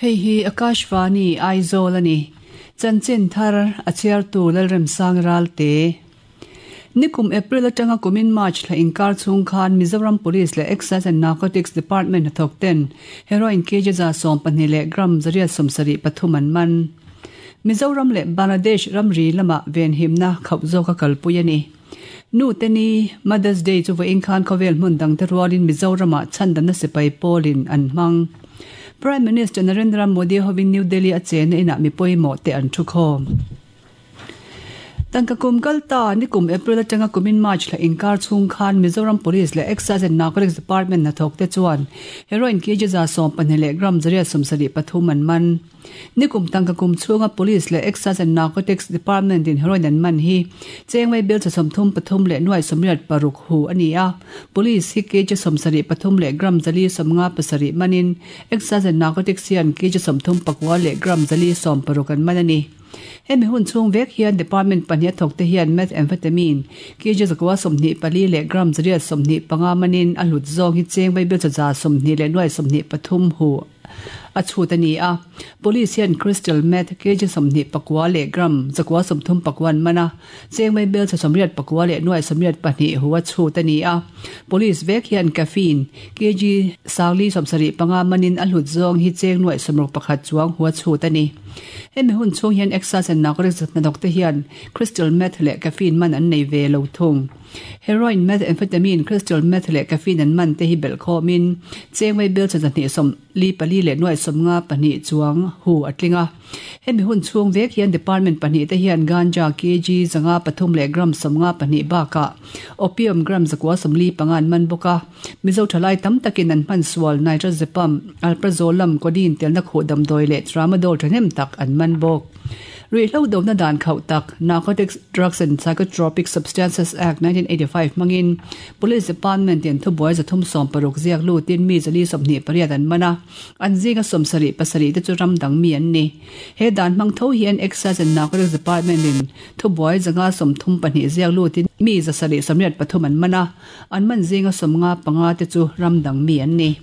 Hei hi Akashvani Aizawl a ni. Chanchin thar a chhiartu Lalremsang Ralte. Nikum April atanga kumin March thla inkar chhung khan Mizoram Police leh Excise and Narcotics Department hnathawk ten heroin kg 12 leh gram 873 an man. Mizoram leh Bangladesh ramri lamah venhimna khauh zawka kalpui a ni. Nu te ni, Mother's Day chu vawiin khan khawvel hmun dangte rualin Mizoramah chhandamna sipai pawlin an hmang. Prime Minister Narendra Modi hovin New Delhi a chenna inah mi pawimawh te an thukhawm. Tangka kum kal ta, nikum April atanga kumin March thla inkar chhung khan Mizoram Police leh Excise and Narcotics Department hnathawk te chuan heroin kg 12 leh gram 873 an man. Nikum tangka kum chhunga Police leh Excise and Narcotics Department in heroin an man hi Chengmei bill cha 33 leh nuai 86 hu a ni a. Police hi kg 73 leh gram 457 manin Excise and Narcotics hian kg 34 leh gram 460 an man a ni. Hemi hun chhung vek hian department pahnih a thawk te hian methamphetamine kg 124 leh gram 125 manin a hlut zawng hi Chengmei bill cha 20 leh nuai 23 hu a chhut a ni a. Police hian crystal meth kg 29 leh gram 139 an man a, Chengmei bel cha 89 leh nuai 82 hu a chhut a ni a. Police vek hian caffeine kg 475 manin a hlut zawng hi cheng nuai 61 chuang hu a chhut a ni. Hemi hun chhung hian Excise and Narcotics hnathawk te hian crystal meth leh caffeine man an nei ve lo thung. Heroin, methamphetamine, crystal meth leh caffeine an man te hi belh khawmin Chengmei bel cha 244 leh nuai 52 chuang hu a tling a. Hemi hun chhung vek hian department pahnih te hian ganja kg 503 leh gram 52 bakah opium gram 945 an man bawk a. Mizo thalai tam takin an hman sual nitrazepam, alprazolam, codeine telna khuh damdawi leh tramadol thahnem tak an man bawk. Ruihhlo dona dan khauh tak Narcotics Drugs and Psychotropic Substances Act 1985 hmangin Police Department in thubuai 360 ziak lutin mi 428 an man a, an zinga 77 te chu ram dang mi an ni. He dan hmang tho hian Excise and Narcotics Department in thubuai 132 ziak lutin mi 783 an man a, an man zinga 55 te chu ram dang mi an ni.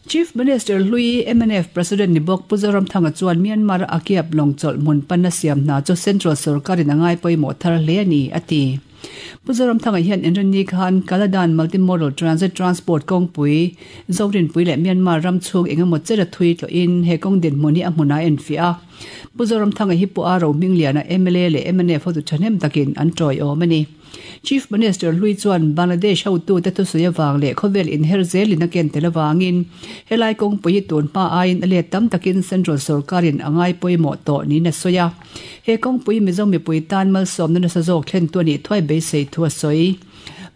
Chief Minister Hlui MNF President ni bawk Pu Zoramthanga chuan Myanmar a kiap lawng chawlh hmun panna siam hna chu Central Sorkarin a ngai pawimawh thar hle a ni, a ti. Pu Zoramthanga hian Inrinni khan Kaladan Multimodal Transit Transport kawngpui Zorinpui leh Myanmar ram chhung eng emaw cher a thui tlawhin he kawng dinhmun hi a hmunah a enfiah a. Pu Zoramthanga hi Pu A Rohmingliana mla leh MNF hotu thahnem takin an tawiawm a ni. Chief Minister Hlui chuan Bangladesh hotute thusawi avang leh khawvel inher zelin a ken tel avangin helai kawngpui hi tun hma aiin a let tam takin Central sorkarin a ngai pawimawh tawh niin a sawi a. He kawngpui Mizo mipui tan malsawmna nasa zawk thlentu a nih thuai beisei thu a sawi.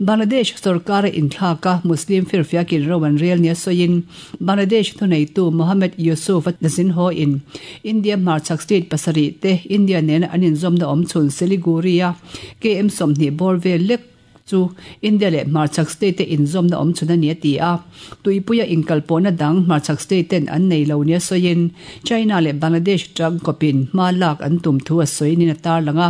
Bangladesh sorkara inthlak a Muslim firfiakin ro an rel nia sawiin Bangladesh thuneitu Mohammed Yusuf a zin haw in India hmarchhak state pasarih te India nena an inzawmna awm chhun Siliguri-a KM 20 bawr vel lek chu India leh hmarchhak state te inzawmna awm chhun a ni a ti a. Tuipuia inkalpawhna dang hmarchhak state ten an nei lo nia sawiin China leh Bangladesh tangkawpin hma lak an tum thu a sawi niin a tarlang a.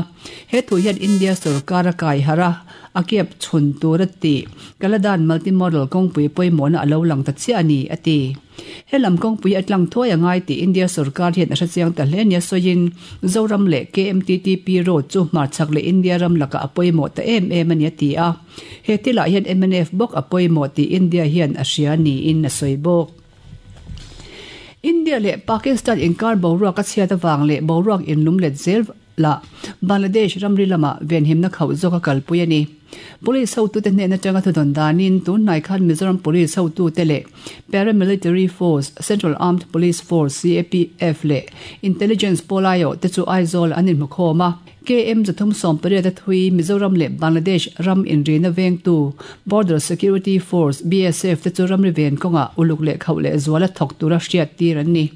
He thu hian India sorkar a kai harh a, a kep chhun tur a ti. Kaladan Multimodal kawngpui pawimawhna a lo lang ta chiah a ni, a ti. He lam kawngpui a tlang thuai a ngai tih India sorkar hian a hrechiang ta hle nia sawiin Zoram leh KMTTP road chu hmarchhak leh India ram lakah a pawimawh ta em em a ni a ti a. He thilah hian mnf bawk a pawimawh tih India hian a hria niin a sawi bawk. India leh Pakistan inkar boruak a chhiat avang leh boruak inlum let zel lah Bangladesh ramri lamah venhimna khauh zawk a kalpui a ni. Police hotute hnen atanga thudawn danin tun hnai khan Mizoram Police hotute leh Paramilitary Force, Central Armed Police Force, CAPF, leh Intelligence pawlaiawh te chu Aizawl an inhmukhawm a. KM 318 a thui Mizoram leh Bangladesh ram inrina vengtu Border Security Force, BSF, te chu ramri ven kawngah uluk leh khauh leh zuala thawk tura hriat tir an ni.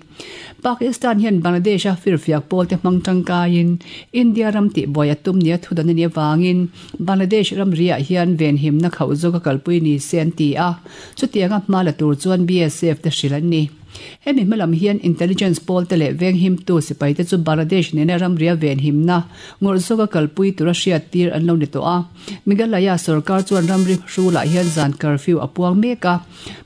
Pakistan hian Bangladesh a firfiak pawl te hmang tangkaiin India ram tihbuai a tum nia thudan a nih avangin Bangladesh ramriah hian venhimna khauh zawk a kalpui ni se an ti a, chutianga hma la tur chuan BSF te hrilh an ni. Hemi hma lam hian intelligence pawl te leh venghimtu sipai te chu Bangladesh nena ramria venhimna ngawrh zawka kalpui tura hriat tir an lo ni tawh a. Meghalaya sorkar chuan ramri hrulah hian zan curfew a puang mek a.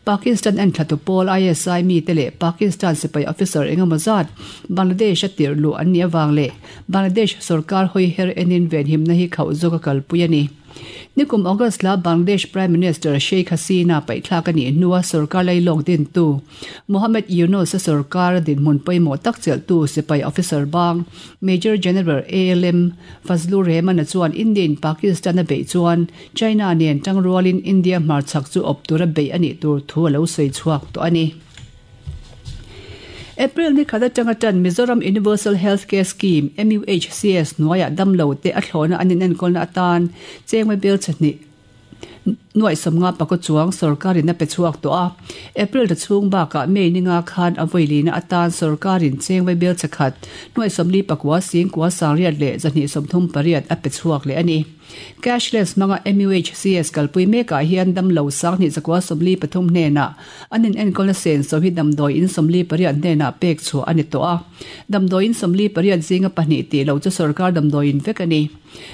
Pakistan enthlatu pawl ISI mite leh Pakistan sipai officer engemaw zat Bangladesh a tirh luh an nih avang leh Bangladesh sorkar hawi her enin venhimna hi khauh zawka kalpui a ni. Nikum August la Bangladesh Prime Minister Sheikh Hasina paihthlak a nih hnua sorkar lailawk dintu Mohammed Yunus a sorkar dinhmun pawimawh tak chelhtu sipai officer bang Major General ALM Fazlur Rehman-a chuan India-in Pakistan a beih chuan China nen tangrualin India hmarchhak chu awp tura beih a nih tur thu a lo sawi chhuak tawh a ni. April ni khat atanga tan Mizoram Universal Health Care Scheme, MUHCS, hnuaiah damlo te a thlawhna an inenkawlna atan chengmai bel chahnih nuaih sawmnga pakaw chuang sorkarin a pe chhuak tawh a. April ta chhung bakah May ninga khan a vawilina atan sorkarin chengmai bel chakhat nuaih sawmli pakua singkua sangriat leh zahnih 38 a pe chhuak leh a ni. Cashless hmanga MUHCS kalpui mekah hian damlo sanghnih zakua 43 hnenah an inenkawlna senso hi damdawi in 48 hnenah pek chhuah a ni tawh a. Damdawi in 48 zinga pahnih tih loh chu sorkar damdawi in vek a ni.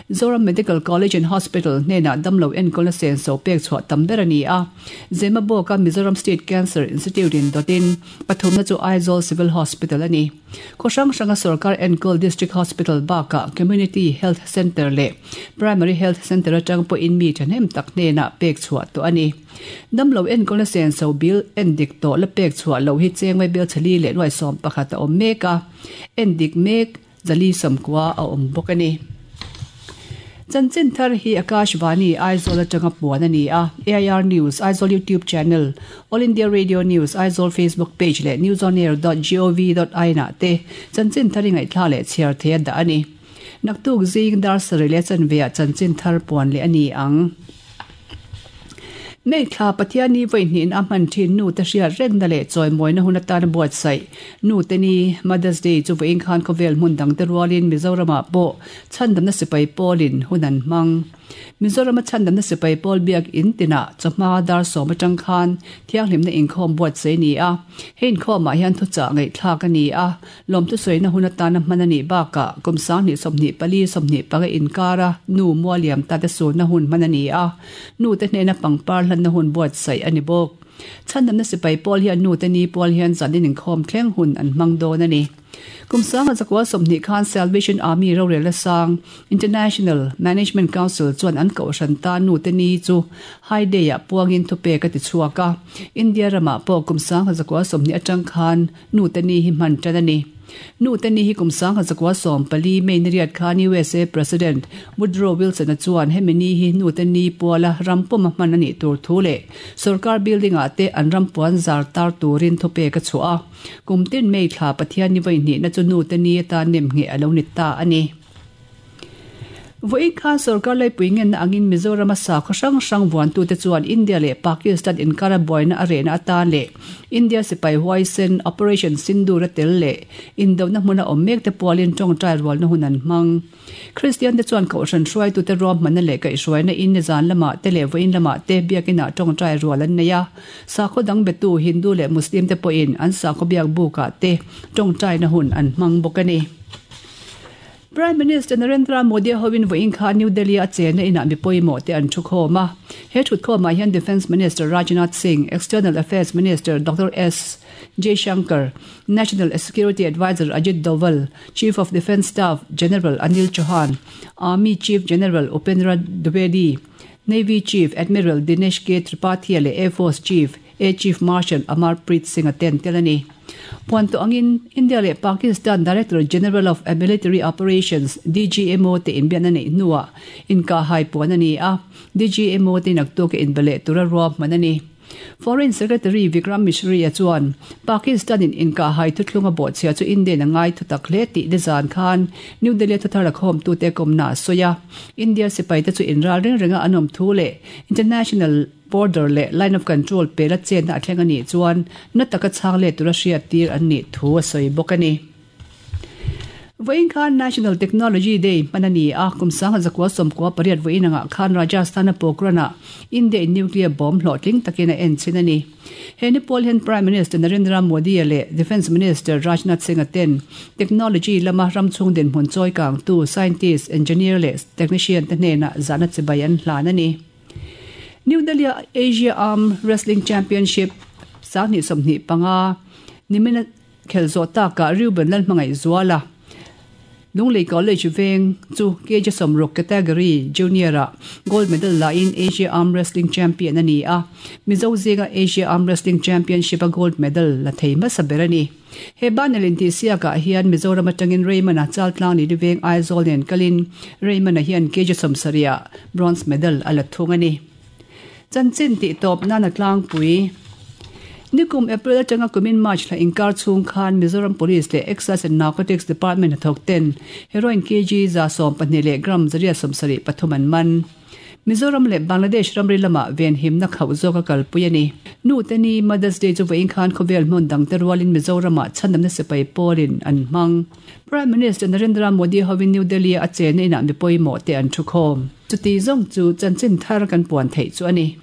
Zoram Medical College and Hospital hnenah damlo enkawlna senso pek chhuah tam ber a ni a. Zemabawka Mizoram State Cancer Institute in dawtin pathumna chu Aizawl Civil Hospital a ni. Khaw hrang hranga sorkar enkawl District Hospital bakah Community Health Centre leh Primary Health Centre atang pawhin mi thahnem tak hnenah pek chhuah tawh a ni. Damlo enkawlna senso bill endik tawh la pek chhuah loh hi chengmai bel chali leh nuai 11 a awm mek a, endik mek zali 90 a awm bawk a ni. Chanchin thar hi Akashvani, Aizawl atanga puan a ni a, AIR News, Aizawl YouTube Channel, All India Radio News, Aizawl Facebook Page leh newsonair dot gov dot in ah te chanchin thar i ngaihthla leh chhiar thei a dah a ni. Naktuk zing dar sarih leh chanve ah chanchin thar puan leh a ni ang. May thla Pathian ni vawi hnihin a hman thin nu te hriat rengna leh chawimawina hun atana buatsaih nu te ni Mother's Day chu vawiin khan khawvel hmun dang te rualin Mizoramah pawh chhandamna sipai pawlin hun an hmang. Mizorama chhandamna sipai pawl biak in tinah chawhma dar sawm atang khan thianghlimna inkhawm buatsaih a ni a. He inkhawmah hian thuchah ngaihthlak a ni a, lawmthusawiina hun atana hman a nih bakah kum sanghnih 24 25 inkara nu mualiam tate sunna hun hman a ni a, nute hnena pangpar hlanna hun buatsaih a ni bawk. Chhandamna sipai pawl hian nute ni pual hian zanin inkhawm thleng hun an hmang dawn a ni. Kum sanga zakua 20 khan Salvation Army rorelna sang International Management Council chuan an kohhran ta nute ni chu High Day-ah puangin thupek a ti chhuak a. India ramah pawh kum sanga zakua 20 atang khan nute ni hi hman tan a ni. Nute ni hi kum 1914 May ni riat khan USA President Woodrow Wilson-a chuan hemi ni hi nute ni puala ram pawm a hman a nih tur thu leh sorkar building-ah te an ram puan zar tar turin thupek a chhuah a. Kum tin May thla Pathian ni vawi hnihna chu nute ni atan nem ngheh a lo ni ta a ni. Vawiin khan sorkar laipui ngenna angin Mizorama sakhaw hrang hrang vuantute chuan India leh Pakistan inkara buaina a rehna atan leh India sipai huaisen Operation Sindoor a tel leh indona hmuna awm mekte pualin tawngtai rualna hun an hmang. Kristian te chuan kohhran hruaitute ruahmanna leh kaihhruaina in nizan lamah te leh vawiin lamah te biakinah tawngtai rual an nei a. Sakhaw dang betu Hindu leh Muslim te pawhin an sakhaw biak bukah te tawngtaina hun an hmang bawk a ni. Prime Minister Narendra Modi hoin vawiin khan New Delhi a chenna inah mi pawimawh te an thukhawm a. He thutkhawmah hian Defence Minister Rajnath Singh, External Affairs Minister Doctor S. Jaishankar, National Security Adviser Ajit Doval, Chief of Defence Staff General Anil Chauhan, Army Chief General Upendra Dwivedi, Navy Chief Admiral Dinesh K Tripathi leh Air Force Chief Air Chief Marshal Amar Preet Singh a ten tel a ni. Puan tawh angin India leh Pakistan Director General of Military Operations, DGMO, te inbiakna neih hnuah inkahhai puan a ni a, DGMO te naktuk a inbe leh tura ruahman a ni. Foreign Secretary Vikram Misri-a chuan Pakistan-in inkahhai thuthlung a bawhchhia chu India-in a ngai thu tak hle tih nizan khan New Delhi-a thuthar a khawmtute kawmna a sawi a. India sipaite chu inral reng renga an awm thu leh international border leh line of control pela chenna a thleng a nih chuan na taka chhang let tura hriattir an nih thu a sawi bawk a ni. Vawiin khan National Technology Day hman a ni a, kum 1998 vawiin angah khan Rajasthan-a Pokhran-ah India-in nuclear bomb hlawhtling takin a en chhin a ni. He ni pawl hian Prime Minister Narendra Modi-a leh Defence Minister Rajnath Singh-a ten technology lama ram chhung dinhmun chawi kangtu scientist, engineer leh technician te hnenah zahna chibai an hlan a ni. New Delhi-a Asia Arm Wrestling Championship 2025 nimina Khelh zawh takah Reuben Lalhmangaih Zuala, Lunglei College veng chu kg sawmruk category junior-ah gold medal lahin Asia Arm Wrestling Champion a ni a, Mizo zinga Asia Arm Wrestling Championship-a gold medal la thei hmasa ber a ni. He banner intihsiakah hian Mizoram atangin Raymond-a Chaltlang Lili veng Aizawl nen kalin Raymond-a hian kg 70-ah bronze medal a la thung a ni. Chanchin tih tawp nana tlangpui. Nikum April atanga kumin March thla inkar chhung khan Mizoram Police leh Excise and Narcotics Department hnathawk ten heroin kg 12 leh gram 173 an man. Mizoram leh Bangladesh ramri lamah venhimna khauh zawk a kalpui a ni. Nu te ni Mother's Day chu vawiin khan khawvel hmun dangte rualin Mizoramah chhandamna sipai pawlin an hmang. Prime Minister Narendra Modi hovin New Delhi-a a chenna inah mi pawimawh te an thu khawm. Chuti zawng chu chanchin thar kan puan theih chu a ni.